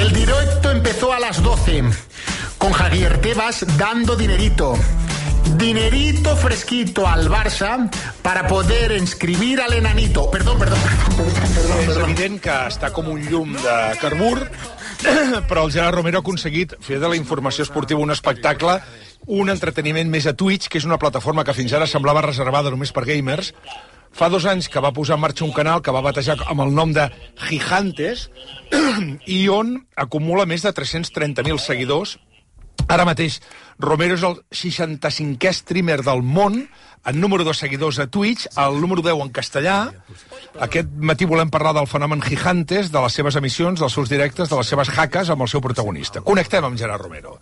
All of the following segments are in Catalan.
El directo empezó a las 12 con Javier Tebas dando dinerito fresquito al Barça para poder inscribir al enanito. Perdón. És evident que està com un llum de carbur, però el Gerard Romero ha aconseguit fer de la informació esportiva un espectacle, un entreteniment més a Twitch, que és una plataforma que fins ara semblava reservada només per gamers. Fa 2 anys que va posar en marxa un canal que va batejar amb el nom de Gigantes i on acumula més de 330.000 seguidors. Ara mateix, Romero és el 65è streamer del món, en número de seguidors a Twitch, el número 10 en castellà. Aquest matí volem parlar del fenomen Gigantes, de les seves emissions, dels seus directes, de les seves hackes amb el seu protagonista. Connectem amb Gerard Romero.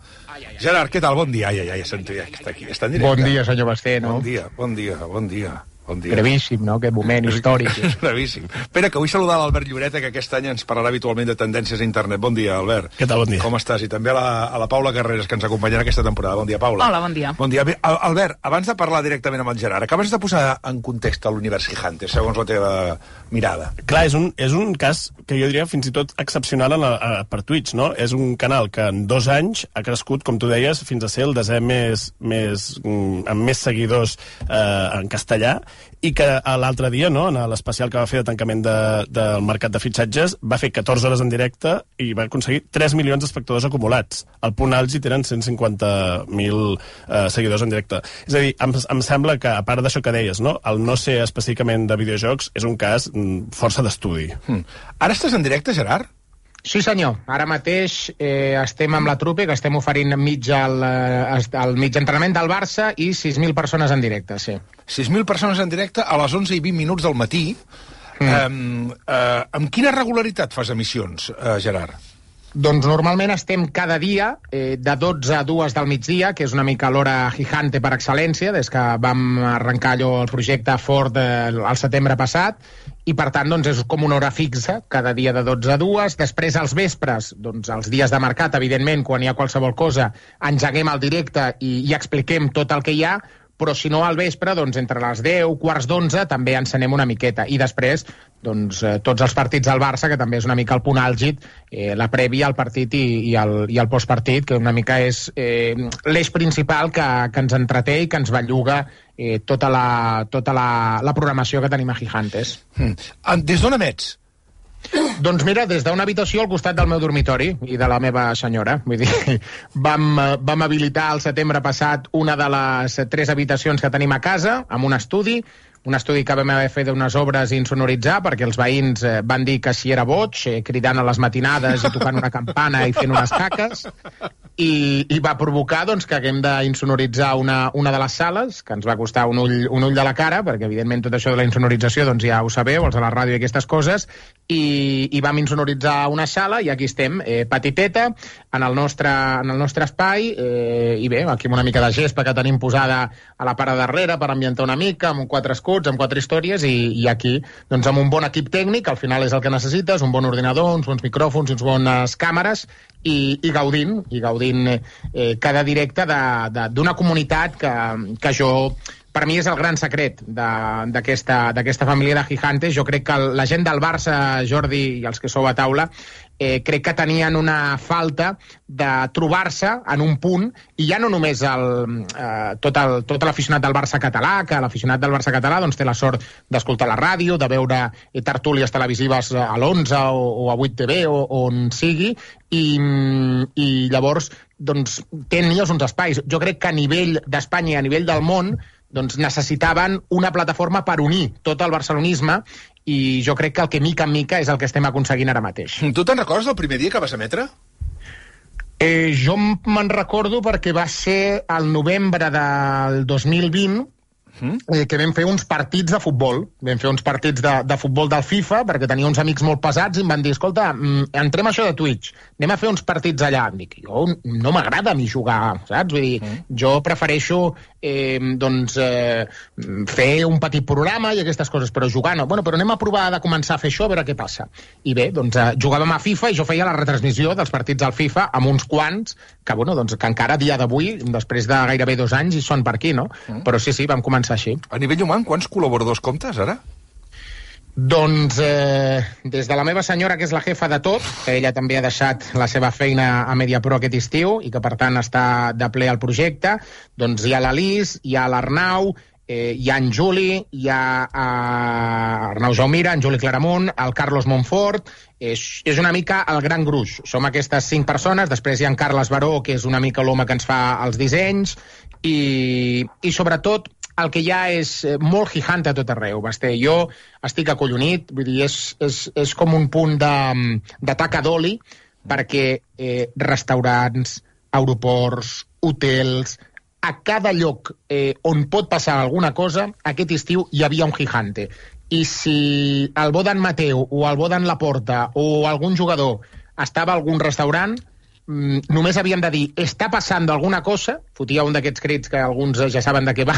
Gerard, què tal? Bon dia. Ja sento, ja està aquí, està en directe. Bon dia, senyor Basté, no? Bon dia. Brevíssim, no? Aquest moment històric. Brevíssim. Espera, que vull saludar l'Albert Lloreta, que aquest any ens parlarà habitualment de tendències a internet. Bon dia, Albert. Què tal, bon dia. Com estàs? I també a la Paula Carreras, que ens acompanyarà aquesta temporada. Bon dia, Paula. Hola, bon dia. Bon dia. Bé, Albert, abans de parlar directament amb el Gerard, acabes de posar en context l'univers Gigantes, segons la teva mirada. Clar, és un cas que jo diria fins i tot excepcional per Twitch, no? És un canal que en 2 anys ha crescut, com tu deies, fins a ser el 10è amb més seguidors en castellà, i que l'altre dia, no, en l'especial que va fer de tancament del mercat de fitxatges, va fer 14 hores en directe i va aconseguir 3 milions d'espectadors acumulats. Al punt àlgid eren 150.000 seguidors en directe. És a dir, em sembla que, a part d'això que deies, no, el no ser específicament de videojocs és un cas força d'estudi. Ara estàs en directe, Gerard? Sí, senyor. Ara mateix estem amb la trupe, que estem oferint el mig entrenament del Barça i 6.000 persones en directe, sí. 6.000 persones en directe a les 11:20 del matí. Amb quina regularitat fas emissions, Gerard? Doncs normalment estem cada dia de 12 a 2 del migdia, que és una mica l'hora gigante per excel·lència, des que vam arrencar el projecte fort al setembre passat, i per tant doncs, és com una hora fixa, cada dia de 12 a 2. Després, als vespres, doncs, els dies de mercat, evidentment, quan hi ha qualsevol cosa, engeguem el directe i expliquem tot el que hi ha, però si no al vespre, doncs entre les 10, quarts d'11, també encenem una miqueta. I després, doncs, tots els partits del Barça, que també és una mica el punt àlgid, la prèvia al partit i el postpartit, que una mica és l'eix principal que ens entreté i que ens belluga tota la programació que tenim a Gigantes. Des d'on emets? Doncs mira, des d'una habitació al costat del meu dormitori i de la meva senyora. Vull dir, vam habilitar el setembre passat una de les 3 habitacions que tenim a casa, amb un estudi que vam haver fet unes obres i insonoritzar, perquè els veïns van dir que si era boig, cridant a les matinades i tocant una campana i fent unes caques, i va provocar doncs, que haguem d'insonoritzar una de les sales, que ens va costar un ull de la cara, perquè evidentment tot això de la insonorització doncs, ja ho sabeu, els de la ràdio i aquestes coses, i vam insonoritzar una sala i aquí estem, petiteta, en el nostre espai, i bé, aquí amb una mica de gespa que tenim posada a la part de darrere per ambientar una mica, amb 4 escuts, amb 4 històries, i aquí doncs, amb un bon equip tècnic, al final és el que necessites, un bon ordinador, uns bons micròfons, uns bones càmeres, i gaudint cada directe d'una comunitat que jo... Per mi és el gran secret d'aquesta família de Gigantes. Jo crec que la gent del Barça, Jordi i els que sou a taula, crec que tenien una falta de trobar-se en un punt, i ja no només tot l'aficionat del Barça català, que l'aficionat del Barça català doncs, té la sort d'escoltar la ràdio, de veure tertúlies televisives a l'11 o a 8TV o on sigui, i llavors doncs, tenen uns espais. Jo crec que a nivell d'Espanya i a nivell del món doncs necessitaven una plataforma per unir tot el barcelonisme, i jo crec que el que mica en mica és el que estem aconseguint ara mateix. Tu te'n recordes del primer dia que vas emetre? Jo me'n recordo perquè va ser el novembre del 2020, que vam fer uns partits de futbol. Vam fer uns partits de futbol del FIFA, perquè tenia uns amics molt pesats i em van dir, escolta, entrem això de Twitch, anem a fer uns partits allà. Em dic, jo no m'agrada a mi jugar, saps? Vull dir, jo prefereixo fer un petit programa i aquestes coses, però jugar no. Bueno, però anem a provar de començar a fer això, a veure què passa. I bé, doncs jugàvem a FIFA i jo feia la retransmissió dels partits al FIFA amb uns quants que, bueno, doncs, que encara a dia d'avui, després de gairebé 2 anys, hi són per aquí, no? Però sí, vam començar així. A nivell humà, quants col·laboradors comptes, ara? Doncs des de la meva senyora, que és la jefa de tot, que ella també ha deixat la seva feina a Mediapro aquest estiu i que per tant està de ple al projecte, doncs hi ha l'Alice, hi ha l'Arnau, hi ha en Juli, hi ha Arnau Jaumira, en Juli Claramunt, el Carlos Montfort, és una mica el gran gruix. Som aquestes 5 persones, després hi ha en Carles Baró, que és una mica l'home que ens fa els dissenys, i sobretot el que hi ha és molt gigante a tot arreu, Basté. Jo estic acollonit, vull dir, és com un punt de taca d'oli, perquè restaurants, aeroports, hotels, a cada lloc on pot passar alguna cosa, aquest estiu hi havia un gigante. I si el Bodan Mateu o el Bodan Laporta o algun jugador estava a algun restaurant, només havien de dir està passant alguna cosa, fotia un d'aquests crits que alguns ja saben de què va,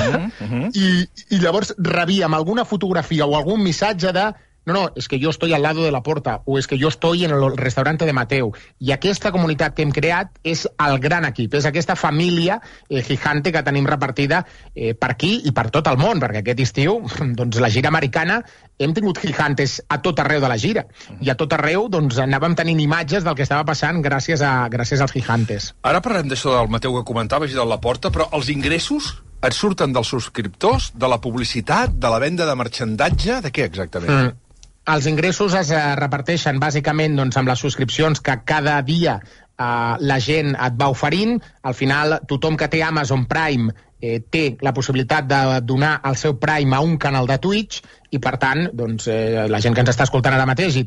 i llavors rebíem alguna fotografia o algun missatge de no, es que yo estoy al lado de la Porta, o es que yo estoy en el restaurante de Mateu. I aquesta comunitat que hem creat és el gran equip, és aquesta família gigante que tenim repartida per aquí i per tot el món, perquè aquest estiu, doncs la gira americana, hem tingut gigantes a tot arreu de la gira, i a tot arreu doncs anàvem tenint imatges del que estava passant gràcies als gigantes. Ara parlem d'això del Mateu que comentaves i de la Porta, però els ingressos et surten dels subscriptors, de la publicitat, de la venda de marxandatge, de què exactament? Els ingressos es reparteixen bàsicament doncs, amb les subscripcions que cada dia la gent et va oferint. Al final, tothom que té Amazon Prime té la possibilitat de donar el seu Prime a un canal de Twitch i, per tant, doncs, la gent que ens està escoltant ara mateix i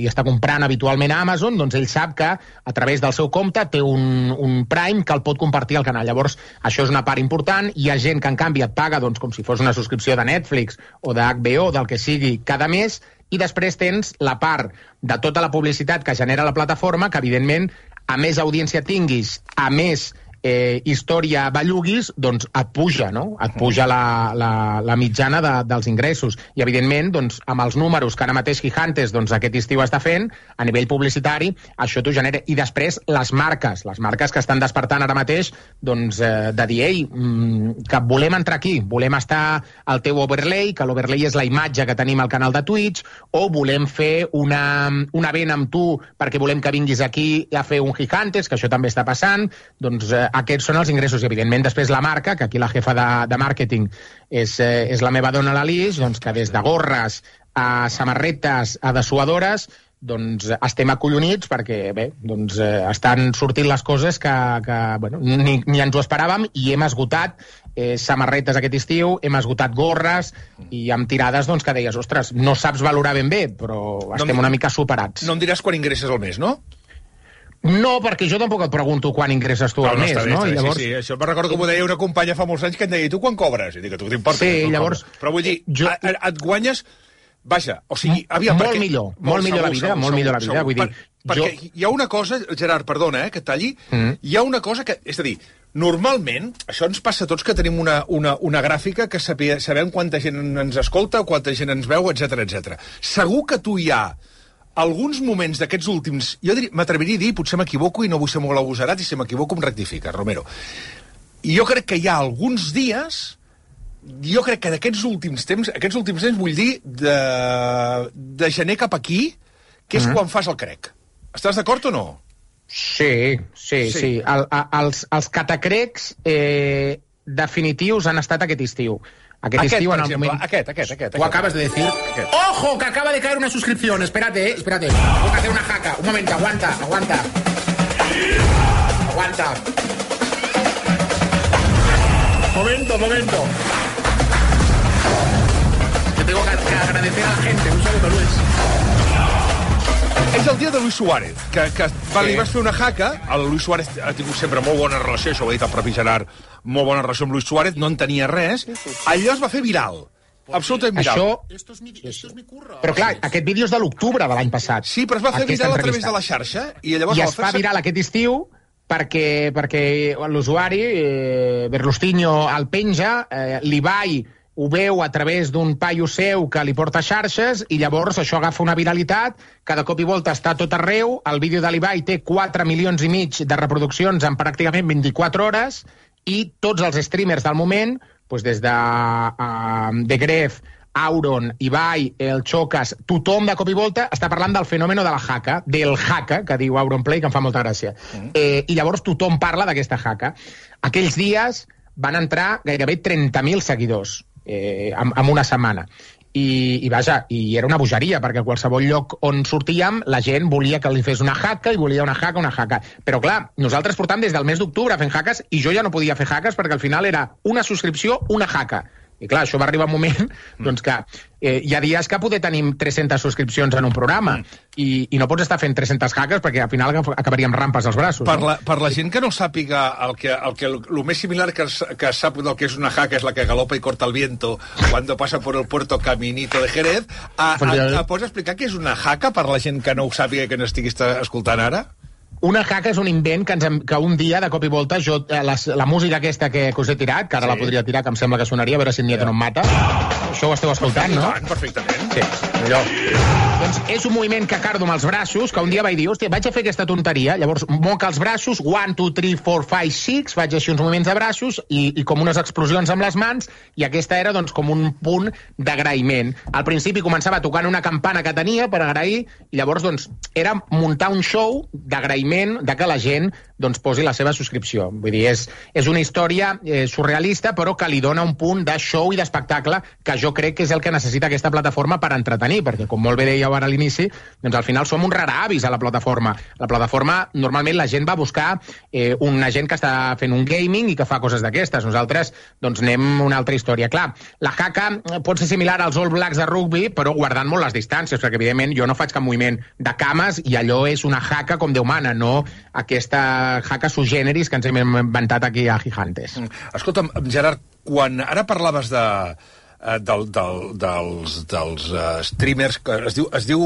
està comprant habitualment a Amazon, doncs ell sap que a través del seu compte té un Prime que el pot compartir al canal. Llavors, això és una part important. Hi ha gent que, en canvi, et paga doncs, com si fos una subscripció de Netflix o de HBO, del que sigui, cada mes, i després tens la part de tota la publicitat que genera la plataforma, que, evidentment, a més audiència tinguis, a més història belluguis, doncs et puja, no? Et puja la mitjana dels ingressos. I, evidentment, doncs, amb els números que ara mateix Gigantes doncs, aquest estiu està fent, a nivell publicitari, això t'ho genera. I després, les marques que estan despertant ara mateix, doncs, de dir, ei, que volem entrar aquí, volem estar al teu overlay, que l'overlay és la imatge que tenim al canal de Twitch, o volem fer una vent amb tu perquè volem que vinguis aquí a fer un Gigantes, que això també està passant, doncs aquests són els ingressos. I, evidentment, després la marca, que aquí la jefa de màrqueting és la meva dona, l'Alice, doncs, que des de gorres a samarretes a dessuadores, doncs estem acollonits perquè, bé, doncs estan sortint les coses que bueno, ni ens ho esperàvem, i hem esgotat samarretes aquest estiu, hem esgotat gorres i amb tirades doncs, que deies, ostres, no saps valorar ben bé, però estem una mica superats. No em diràs quan ingresses al mes, no? No, perquè jo tampoc et pregunto quan ingresses tu al mes, no? I llavors... Sí, això me'n recordo que m'ho deia una companya fa molts anys que em deia, tu quan cobres? I dic, tu t'importa? Sí, llavors... Però vull dir, et guanyes... Vaja, o sigui... Molt millor la vida, vull dir... Perquè hi ha una cosa, Gerard, perdona, que et talli, hi ha una cosa que... És a dir, normalment, això ens passa a tots que tenim una gràfica que sabem quanta gent ens escolta, quanta gent ens veu, etc. Segur que tu hi ha alguns moments d'aquests últims, jo m'atreviria a dir, potser m'equivoco i no vull ser molt agosarat, i si m'equivoco em rectifica, Romero. I jo crec que hi ha alguns dies, jo crec que d'aquests últims temps, vull dir, de gener cap aquí, que és quan fas el crec. Estàs d'acord o no? Sí. Els catacrecs definitius han estat aquest estiu. Aquest, per exemple, aquest. Ho acabas de decir. ¡Ojo! Que acaba de caer una suscripción. Espérate. Tengo que hacer una jaca. Un momento, aguanta. Momento. Te tengo que agradecer a la gente. Un saludo, Luis. És el dia de Luis Suárez, que li vas fer una jaca. El Luis Suárez ha tingut sempre molt bona relació, això ho ha dit el propi Gerard, molt bona relació amb Luis Suárez, no en tenia res. Allò es va fer viral, absolutament viral. Esto es mi curro. Però clar, aquest vídeo és de l'octubre de l'any passat. Sí, però es va fer viral a través de la xarxa. I es fa viral aquest estiu perquè l'usuari, Berlustinho, el penja, l'Ibai ho veu a través d'un paio seu que li porta xarxes i llavors això agafa una viralitat, cada cop i volta està a tot arreu. El vídeo de l'Ibai té 4,5 milions de reproduccions en pràcticament 24 hores i tots els streamers del moment, doncs des de Gref Auron, Ibai, el Chocas, tothom de cop i volta està parlant del fenòmeno de la haka, del haka, que diu Auron Play, que em fa molta gràcia. I llavors tothom parla d'aquesta haka. Aquells dies van entrar gairebé 30.000 seguidors en una setmana. I vaja, i era una bogeria, perquè a qualsevol lloc on sortíem la gent volia que li fes una haka i volia una haka. Però clar, nosaltres portàvem des del mes d'octubre fent hackes i jo ja no podia fer hackes perquè al final era una subscripció, una haka. I clar, això va arribar un moment doncs que hi ha dies que poder tenir 300 subscripcions en un programa i no pots estar fent 300 hackers perquè al final acabaríem rampes als braços. Per la gent que no sàpiga el més similar que sap del que és una haka és la que galopa i corta el viento cuando pasa por el puerto Caminito de Jerez. Pots explicar què és una haka per la gent que no ho sàpiga i que no estigui escoltant ara? Una haka és un invent que un dia, de cop i volta, la música aquesta que us he tirat, que ara la podria tirar, que em sembla que sonaria, a veure si el Nieto no em mata. Això ho esteu escoltant, no? Perfectament. Sí, allò. Doncs és un moviment que cardo amb els braços, que un dia vaig dir, hòstia, vaig a fer aquesta tonteria, llavors moc els braços, 1, 2, 3, 4, 5, 6, faig així uns moviments de braços i com unes explosions amb les mans, i aquesta era doncs com un punt d'agraïment. Al principi començava tocant una campana que tenia per agrair, i llavors doncs era muntar un show d'agraïment de que la gent doncs posi la seva subscripció. Vull dir, és una història surrealista, però que li dona un punt de show i d'espectacle que jo crec que és el que necessita aquesta plataforma per entretenir, perquè com molt bé dèieu ara a l'inici, doncs al final som un raravis a la plataforma. La plataforma, normalment la gent va a buscar una gent que està fent un gaming i que fa coses d'aquestes. Nosaltres doncs anem una altra història. Clar, la haka pot ser similar als All Blacks de rugby, però guardant molt les distàncies, perquè evidentment jo no faig cap moviment de cames i allò és una haka com Déu mana, no aquesta haka sui-generis que ens hem inventat aquí a Gigantes. Escolta'm, Gerard, quan ara parlaves dels streamers, es diu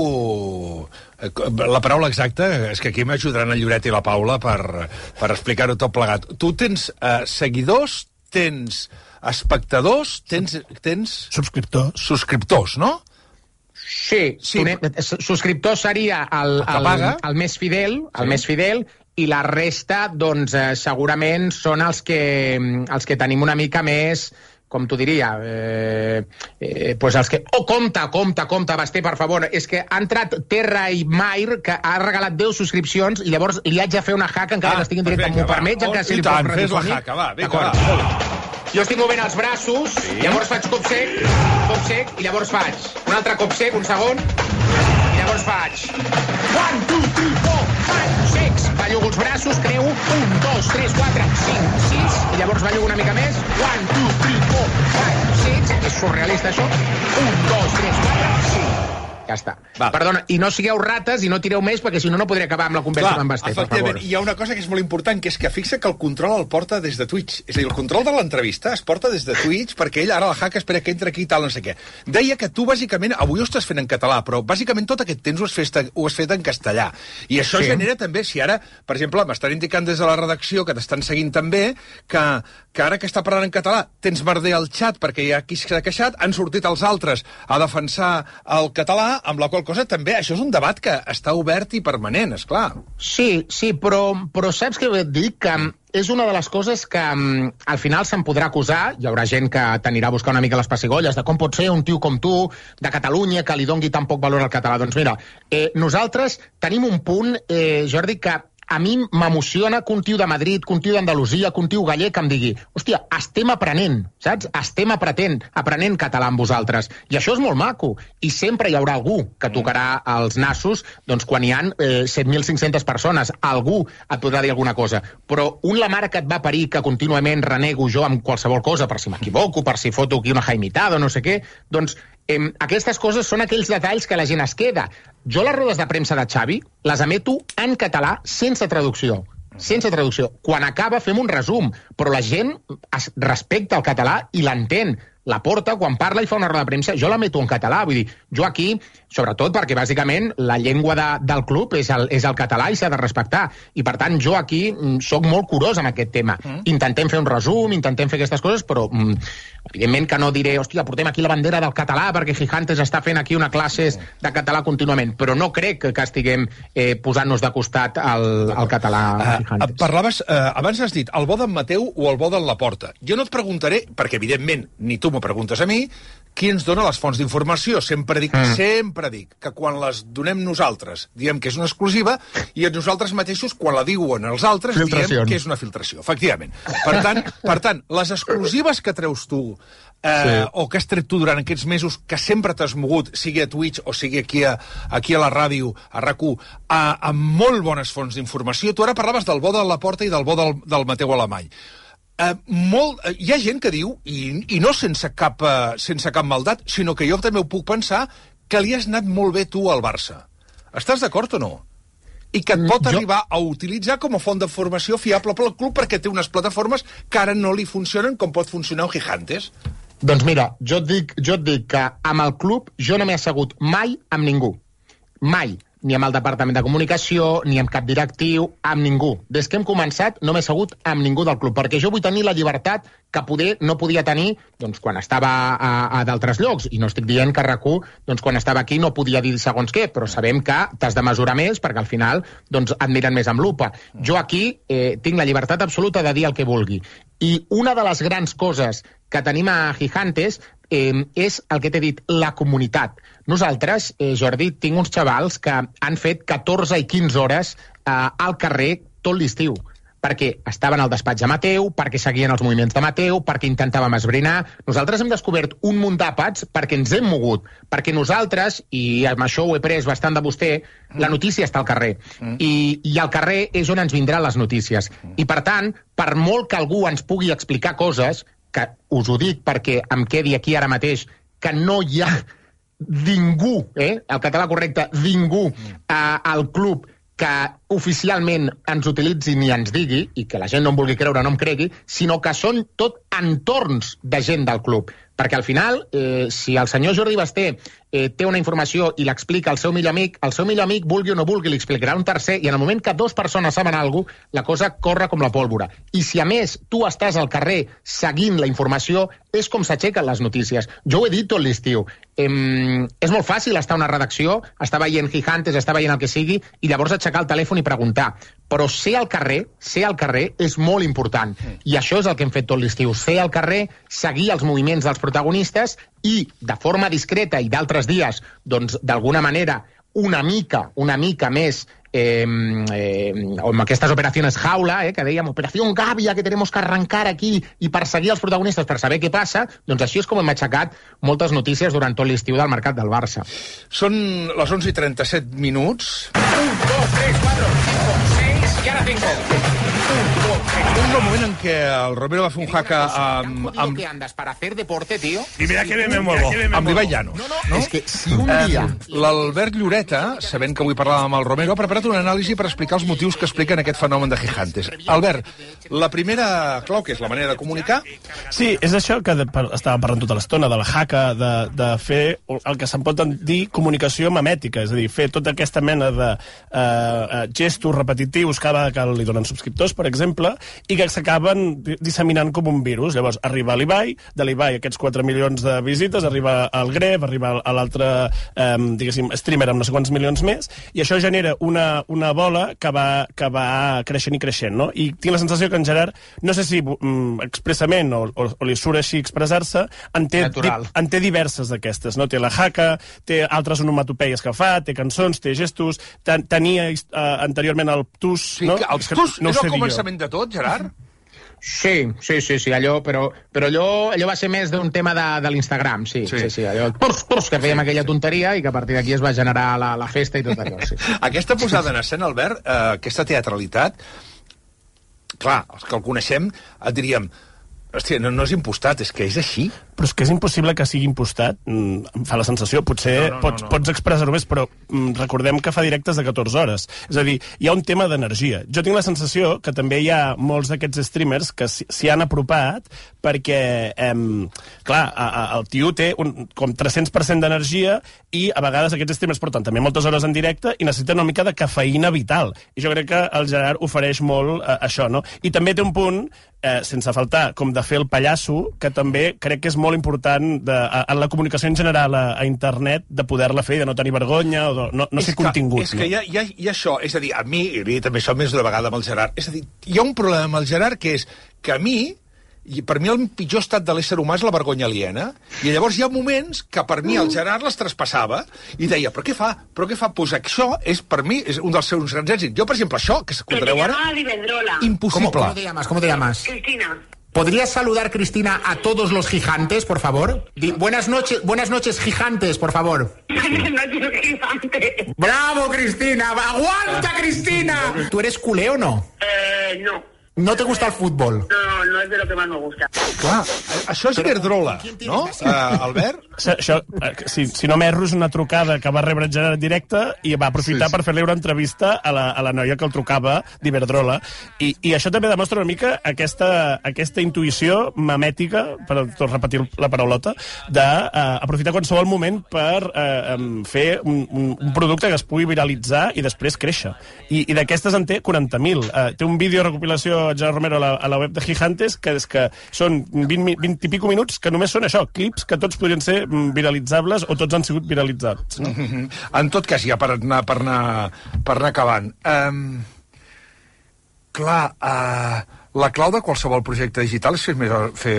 la paraula exacta, és que aquí m'ajudaran el Lloret i la Paula per explicar-ho tot plegat. Tu tens seguidors, tens espectadors, tens subscriptors, no? Sí. Subscriptor seria el més fidel, més fidel, i la resta, doncs, segurament són els que tenim una mica més, com t'ho diria, doncs els que... Compte, Basté, per favor, és que ha entrat Terra i Mair, que ha regalat 10 subscripcions, i llavors li haig de fer una haka, encara que estigui en directe, m'ho permets, encara si li puc fes la haka, va, vinga, va. Jo estic movent els braços, llavors faig cop sec, i llavors faig un altre cop sec, un segon, i llavors faig 1, 2, 3, 4, 5, 6, ballo els braços, creu 1, 2, 3, 4, 5, 6, i llavors ballo una mica més, 1, 2, 3, 4, 5, 6, és surrealista això, 1, 2, 3, 4, 5. Ja està. Va. Perdona, i no sigueu rates i no tireu més, perquè si no, no podré acabar amb la conversa amb en Basté, per favor. Hi ha una cosa que és molt important, que és que fixa que el control el porta des de Twitch. És a dir, el control de l'entrevista es porta des de Twitch, perquè ell ara la haka espera que entri aquí i tal, no sé què. Deia que tu, bàsicament, avui ho estàs fent en català, però bàsicament tot aquest temps ho has fet en castellà. I això genera també, si ara, per exemple, m'estan indicant des de la redacció, que t'estan seguint també, que ara que està parlant en català tens merder al xat perquè hi ha qui s'ha queixat, han sortit els altres a defensar el català, amb la qual cosa també això és un debat que està obert i permanent, esclar. Sí, però saps què vull dir? Que és una de les coses que al final se'n podrà acusar, hi haurà gent que t'anirà a buscar una mica les pessigolles de com pot ser un tio com tu, de Catalunya, que li dongui tan poc valor al català. Doncs mira, nosaltres tenim un punt, Jordi, que a mi m'emociona que un tio de Madrid, que un tio d'Andalusia, que un tio gallec em digui, hòstia, estem aprenent, saps? Estem aprenent català amb vosaltres. I això és molt maco. I sempre hi haurà algú que tocarà els nassos doncs, quan hi ha 7.500 persones. Algú et podrà dir alguna cosa. Però la mare que et va parir, que contínuament renego jo amb qualsevol cosa, per si m'equivoco, per si foto aquí una jaimitada o no sé què, doncs aquestes coses són aquells detalls que la gent es queda. Jo les rodes de premsa de Xavi les emeto en català sense traducció. Sense traducció. Quan acaba fem un resum, però la gent respecta el català i l'entén. La Porta, quan parla i fa una roda de premsa, jo la meto en català. Vull dir, jo aquí, sobretot perquè bàsicament la llengua del club és el català i s'ha de respectar. I per tant, jo aquí sóc molt curós en aquest tema. Intentem fer un resum, intentem fer aquestes coses, però evidentment que no diré, hòstia, portem aquí la bandera del català perquè Gigantes està fent aquí una classe de català contínuament. Però no crec que estiguem posant-nos de costat al català Gigantes. Parlaves, abans has dit el bo d'en Mateu o el bo d'en Laporta. Jo no et preguntaré, perquè evidentment ni tu m'ho preguntes a mi, qui ens dona les fonts d'informació? Sempre dic que quan les donem nosaltres diem que és una exclusiva i nosaltres mateixos, quan la diuen els altres, diem que és una filtració. Efectivament. Per tant, les exclusives que treus tu o que has tret tu durant aquests mesos, que sempre t'has mogut, sigui a Twitch o sigui aquí a la ràdio, a RAC1, amb molt bones fonts d'informació. Tu ara parlaves del bo de Laporta i del bo del Mateu Alemany. Hi ha gent que diu, i no sense cap maldat, sinó que jo també ho puc pensar, que li has anat molt bé tu al Barça. Estàs d'acord o no? I que et pot arribar a utilitzar com a font de formació fiable pel club perquè té unes plataformes que ara no li funcionen com pot funcionar un Gigantes. Doncs mira, jo et dic que amb el club jo no m'he assegut mai amb ningú. Mai. Ni amb el departament de comunicació, ni amb cap directiu, amb ningú. Des que hem començat no m'he assegut amb ningú del club, perquè jo vull tenir la llibertat que poder no podia tenir doncs, quan estava a d'altres llocs. I no estic dient que RAC1, doncs, quan estava aquí no podia dir segons què, però sabem que t'has de mesurar més perquè al final doncs, et miren més amb lupa. Jo aquí tinc la llibertat absoluta de dir el que vulgui. I una de les grans coses que tenim a Gigantes és el que t'he dit, la comunitat. Nosaltres, Jordi, tinc uns xavals que han fet 14 i 15 hores al carrer tot l'estiu, perquè estaven al despatx de Mateu, perquè seguien els moviments de Mateu, perquè intentàvem esbrinar. Nosaltres hem descobert un munt d'àpats perquè ens hem mogut, perquè nosaltres, i amb això ho he pres bastant de vostè, la notícia està al carrer. I al carrer és on ens vindran les notícies. I per tant, per molt que algú ens pugui explicar coses, que us ho dic perquè em quedi aquí ara mateix, que no hi ha ningú, el català correcte, ningú al club que oficialment ens utilitzi ni ens digui, i que la gent no em vulgui creure o no em cregui, sinó que són tot entorns de gent del club. Perquè al final, si el senyor Jordi Basté té una informació i l'explica al seu millor amic, vulgui o no vulgui, li explicarà un tercer, i en el moment que dues persones saben alguna cosa, la cosa corre com la pólvora. I si a més tu estàs al carrer seguint la informació, és com s'aixequen les notícies. Jo ho he dit tot l'estiu. És molt fàcil estar a una redacció, estar veient Gigantes, estar veient el que sigui, i llavors aixecar el telèfon i preguntar. Però ser al carrer és molt important. I això és el que hem fet tot l'estiu. Ser al carrer, seguir els moviments dels protagonistes i, de forma discreta i d'altres dies, doncs, d'alguna manera, una mica més amb aquestes operacions jaula, que dèiem, operació gàbia, que tenemos que arrancar aquí, i perseguir els protagonistes per saber què passa, doncs així és com hem aixecat moltes notícies durant tot l'estiu del mercat del Barça. Són les 11:37 minuts. 1, 2, 3, 4, 5, 6, i ara 5. Un moment en què el Romero va fer un jaca amb... que andas para hacer deporte, tío? I mira que bé me muevo. Amb l'Ibai Llanos. No, és que si un dia... L'Albert Lloreta, sabent que avui parlàvem amb el Romero, ha preparat una anàlisi per explicar els motius que expliquen aquest fenomen de Gigantes. Albert, la primera clau, que és la manera de comunicar... Sí, és això que estava parlant tota l'estona, de la jaca, de fer el que se'n pot dir comunicació memètica, és a dir, fer tota aquesta mena de gestos repetitius cada vegada que li donen subscriptors, per exemple, i que s'acaben disseminant com un virus. Llavors, arriba a l'Ibai, de l'Ibai aquests 4 milions de visites, arriba al Gref, arriba a l'altre, diguéssim, streamer amb no sé quants milions més, i això genera una bola que va creixent i creixent, no? I tinc la sensació que en Gerard, no sé si expressament o li surt així expressar-se, en té diverses d'aquestes, no? Té la jaca, té altres onomatopeies que fa, té cançons, té gestos, tenia anteriorment el TUS, no? Sí, el TUS és el començament de tot, Gerard? Sí, allò, però allò va ser més d'un tema de l'Instagram, sí, allò, que fèiem aquella tonteria i que a partir d'aquí es va generar la festa i tot allò, sí. Aquesta posada en escena, Albert, aquesta teatralitat, clar, els que el coneixem et diríem, hòstia, no és impostat, és que és així. Però és que és impossible que sigui impostat, em fa la sensació. Potser pots expressar-ho més, però recordem que fa directes de 14 hores. És a dir, hi ha un tema d'energia. Jo tinc la sensació que també hi ha molts d'aquests streamers que s'hi han apropat perquè, clar, el tio té com 300% d'energia i a vegades aquests streamers porten també moltes hores en directe i necessiten una mica de cafeïna vital. I jo crec que el Gerard ofereix molt això, no? I també té un punt, sense faltar, com de fer el pallasso, que també crec que és molt important en la comunicació en general a internet, de poder-la fer i de no tenir vergonya o de no ser contingut. És que hi ha això, és a dir, a mi, i també això més d'una vegada amb el Gerard, és a dir, hi ha un problema amb el Gerard que és que a mi I per mi el pitjor estat de l'ésser humà és la vergonya aliena. I llavors hi ha moments que per mi el Gerard les traspassava i deia, però què fa? Pues això és, per mi, és un dels seus grans èxits. Jo, per exemple, això, que s'escoltareu ara, impossible. ¿Cómo te llamas? ¿Cómo te llamas? Cristina. ¿Podrías saludar, Cristina, a todos los gigantes, por favor? Buenas noches, gigantes, por favor. Buenas noches, gigante. ¡Bravo, Cristina! ¡Aguanta, Cristina! ¿Tú eres culé o no? No. ¿No te gusta el fútbol? No es de lo que más me gusta. Clar, això és Iberdrola, no, Albert? Això, si no m'erro, és una trucada que va rebre Gerard directe i va aprofitar per fer-li una entrevista a la noia que el trucava d'Iberdrola. I això també demostra una mica aquesta intuïció memètica, per repetir la paraulota, d'aprofitar qualsevol moment per fer un producte que es pugui viralitzar i després créixer. I d'aquestes en té 40.000. Té un vídeo de recopilació Gerard Romero a la web de Gigantes, que és que són 20 i pico minuts que només són això, clips que tots podrien ser viralitzables o tots han sigut viralitzats. No? En tot cas, ja per anar acabant. La clau de qualsevol projecte digital és fer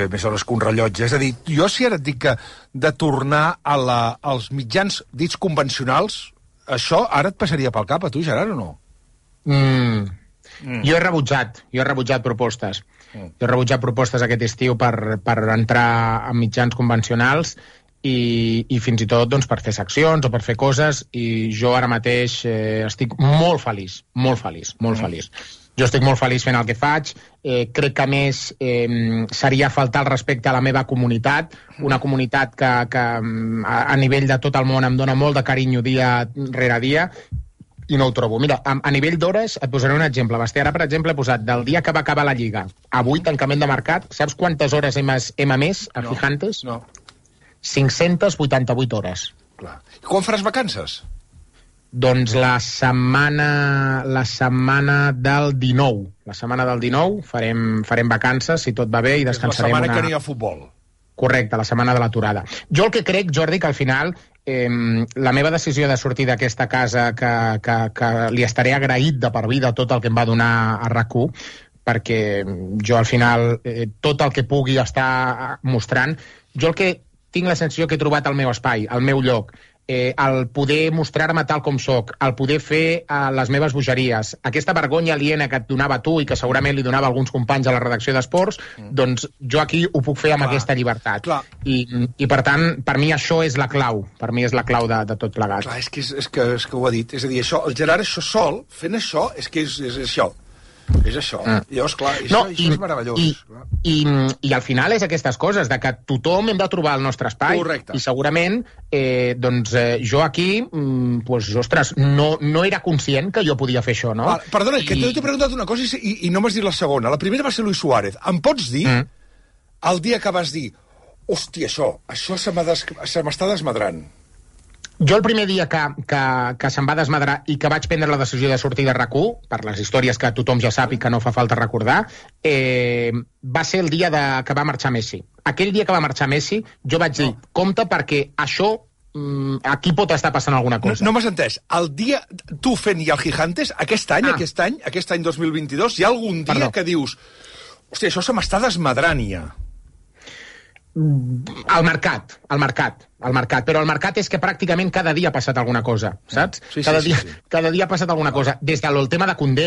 més hores que un rellotge. És a dir, jo si ara et dic que de tornar als mitjans dits convencionals, això ara et passaria pel cap a tu, Gerard, o no? Jo he rebutjat propostes. Jo he rebutjat propostes aquest estiu per entrar en mitjans convencionals i fins i tot doncs, per fer seccions o per fer coses, i jo ara mateix estic molt feliç. Jo estic molt feliç fent el que faig. Crec que, a més, seria faltar el respecte a la meva comunitat, una comunitat que a nivell de tot el món em dona molt de carinyo dia rere dia, i no ho trobo. Mira, a nivell d'hores et posaré un exemple. Basté, ara, per exemple, he posat del dia que va acabar la Lliga, avui, tancament de mercat, saps quantes hores hem emès a Gigantes? No. 588 hores. Clar. I quan faràs vacances? Doncs la setmana del 19. La setmana del 19 farem vacances, si tot va bé, i descansarem la setmana que n'hi ha futbol. Correcte, la setmana de l'aturada. Jo el que crec, Jordi, que al final la meva decisió de sortir d'aquesta casa, que li estaré agraït de per vida tot el que em va donar a RAC1, perquè jo al final tot el que pugui estar mostrant, jo el que tinc la sensació que he trobat el meu espai, el meu lloc, el poder mostrar-me tal com soc, el poder fer les meves bogeries, aquesta vergonya aliena que et donava tu i que segurament li donava alguns companys a la redacció d'Esports, doncs jo aquí ho puc fer amb aquesta llibertat. I per tant, per mi això és la clau. Per mi és la clau de tot plegat. Clar, és que ho ha dit. És a dir, això, el Gerard això sol, fent això, és que és això. És això. Llavors, clar, això és meravellós. I al final és aquestes coses, de que tothom hem de trobar el nostre espai. Correcte. I segurament, jo aquí, ostres, no era conscient que jo podia fer això, no? Perdona, que t'he preguntat una cosa i no m'has dit la segona. La primera va ser Luis Suárez. Em pots dir, el dia que vas dir, hòstia, això se m'està desmadrant? Jo el primer dia que se'm va desmadrar i que vaig prendre la decisió de sortir de RAC1, per les històries que tothom ja sap i que no fa falta recordar, va ser el dia que va marxar Messi. Aquell dia que va marxar Messi, jo vaig dir, compte perquè això, aquí pot estar passant alguna cosa. No m'has entès. El dia, tu fent ja el Gigantes, aquest any 2022, hi ha algun dia que dius, hòstia, això se m'està desmadrant ja. Al mercat, però el mercat és que pràcticament cada dia ha passat alguna cosa, saps? Cada dia ha passat alguna cosa, des del tema de Koundé,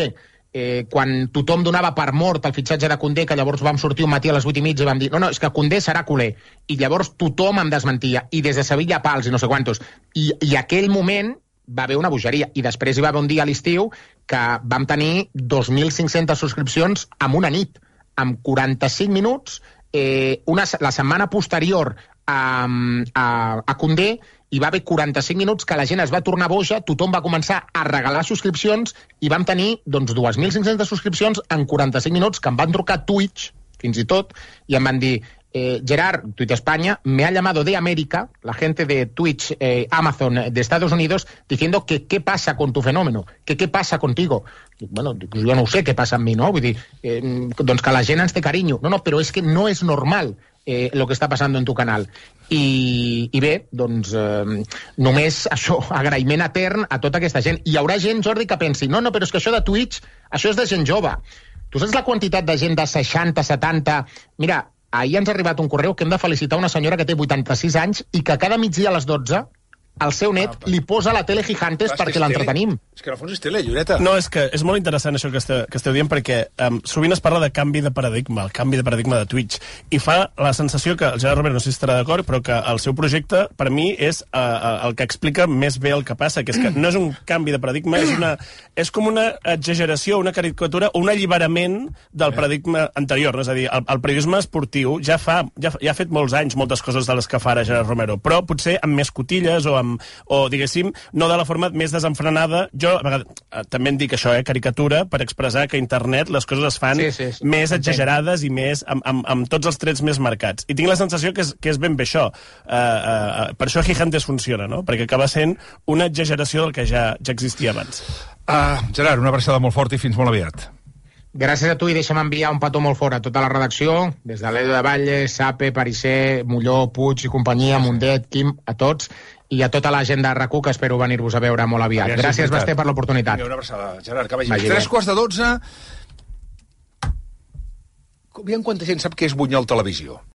quan tothom donava per mort el fitxatge de Koundé, que llavors vam sortir un matí a les 8:30 i vam dir, no, és que Koundé serà culer, i llavors tothom em desmentia, i des de Sevilla a Pals i no sé quantos, i aquell moment va haver una bogeria, i després hi va haver un dia a l'estiu que vam tenir 2.500 subscripcions en una nit, amb 45 minuts. La setmana posterior a Koundé hi va haver 45 minuts que la gent es va tornar boja, tothom va començar a regalar subscripcions i vam tenir 2.500 subscripcions en 45 minuts, que em van trucar Twitch, fins i tot, i em van dir, Gerard, Twitch España, me ha llamado de América, la gente de Twitch, Amazon de Estados Unidos, diciendo que qué pasa con tu fenómeno, que qué pasa contigo. Bueno, jo no ho sé què passa amb mi, no? Vull dir, doncs que la gent ens té carinyo. No, però és que no és normal lo que està passant en tu canal. I bé, doncs, només això, agraïment etern a tota aquesta gent. Hi haurà gent, Jordi, que pensi, no, però és que això de Twitch, això és de gent jove. Tu saps la quantitat de gent de 60, 70... Mira, ahir ens ha arribat un correu que hem de felicitar una senyora que té 86 anys i que cada migdia a les 12 el seu net li posa la tele Gigantes perquè l'entretenim. És que en el fons és tele, Lloreta. No, és que és molt interessant això que esteu dient, perquè sovint es parla de canvi de paradigma, el canvi de paradigma de Twitch, i fa la sensació que el Gerard Romero, no sé si estarà d'acord, però que el seu projecte, per mi, és el que explica més bé el que passa, que és que no és un canvi de paradigma, és com una exageració, una caricatura, un alliberament del paradigma anterior. No? És a dir, el periodisme esportiu ja ha fet molts anys moltes coses de les que fa ara Gerard Romero, però potser amb més cotilles o diguéssim, no de la forma més desenfrenada. Jo, a vegades, també en dic això, caricatura, per expressar que a internet les coses es fan més exagerades i més amb tots els trets més marcats. I tinc la sensació que és ben bé això. Per això Gigantes funciona, no? Perquè acaba sent una exageració del que ja existia abans. Gerard, una abraçada molt forta i fins molt aviat. Gràcies a tu i deixa'm enviar un petó molt fort a tota la redacció, des de l'Edo de Valle, Sape, Parisser, Molló, Puig i companyia, Mundet, Quim, a tots, i a tota la gent de RAC1 que espero venir-vos a veure molt aviat. Gràcies, Basté, per l'oportunitat. Una abraçada, Gerard, que vagi bé. 3:15. Aviam quanta gent sap què és Bunyol Televisió.